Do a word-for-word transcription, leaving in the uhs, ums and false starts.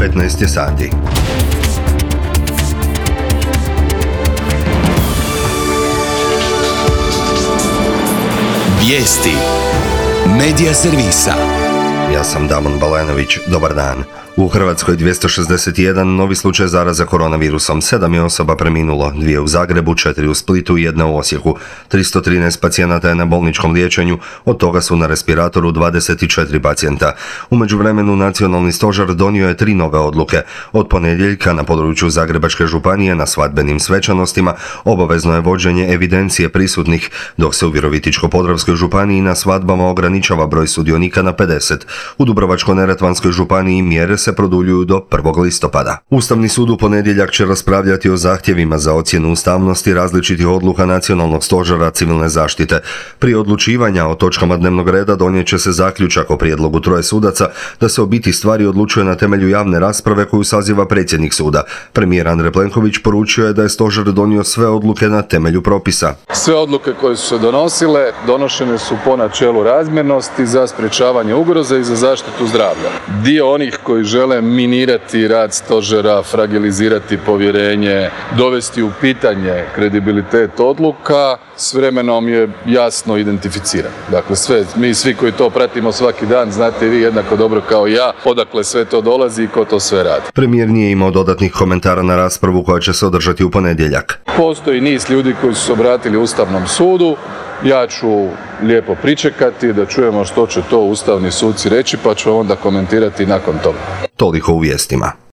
petnaest je sati. Vijesti Medija servisa. Ja sam Damon Balenović, dobar dan. U Hrvatskoj dvjesto šezdeset jedan novi slučaj zaraza koronavirusom, sedam je osoba preminulo, dvije u Zagrebu, četiri u Splitu i jedna u Osijeku. tristo trinaest pacijenata je na bolničkom liječenju, od toga su na respiratoru dvadeset četiri pacijenta. U međuvremenu Nacionalni stožer donio je tri nove odluke. Od ponedjeljka na području Zagrebačke županije na svadbenim svečanostima obavezno je vođenje evidencije prisutnih, dok se u Virovitičko-podravskoj županiji na svadbama ograničava broj sudionika na pedeset. U Dubrovačko-neretvanskoj županiji mjere se produljuju do prvog listopada. Ustavni sud u ponedjeljak će raspravljati o zahtjevima za ocjenu ustavnosti različitih odluka Nacionalnog stožera civilne zaštite. Prije odlučivanja o točkama dnevnog reda donijet će se zaključak o prijedlogu troje sudaca da se o biti stvari odlučuje na temelju javne rasprave koju saziva predsjednik suda. Premijer Andrej Plenković poručio je da je stožer donio sve odluke na temelju propisa. Sve odluke koje su se donosile, donošene su po načelu razmjernosti za sprječavanje ugroze i za zaštitu zdravlja. Dio onih koji žele minirati rad stožera, fragilizirati povjerenje, dovesti u pitanje kredibilitet odluka, s vremenom je jasno identificiran. Dakle, sve, mi svi koji to pratimo svaki dan, znate i vi jednako dobro kao ja, odakle sve to dolazi i ko to sve radi. Premijer nije imao dodatnih komentara na raspravu koja će se održati u ponedjeljak. Postoji niz ljudi koji su se obratili Ustavnom sudu. Ja ću lijepo pričekati da čujemo što će to ustavni suci reći, pa ću onda komentirati nakon toga. Toliko u vijestima.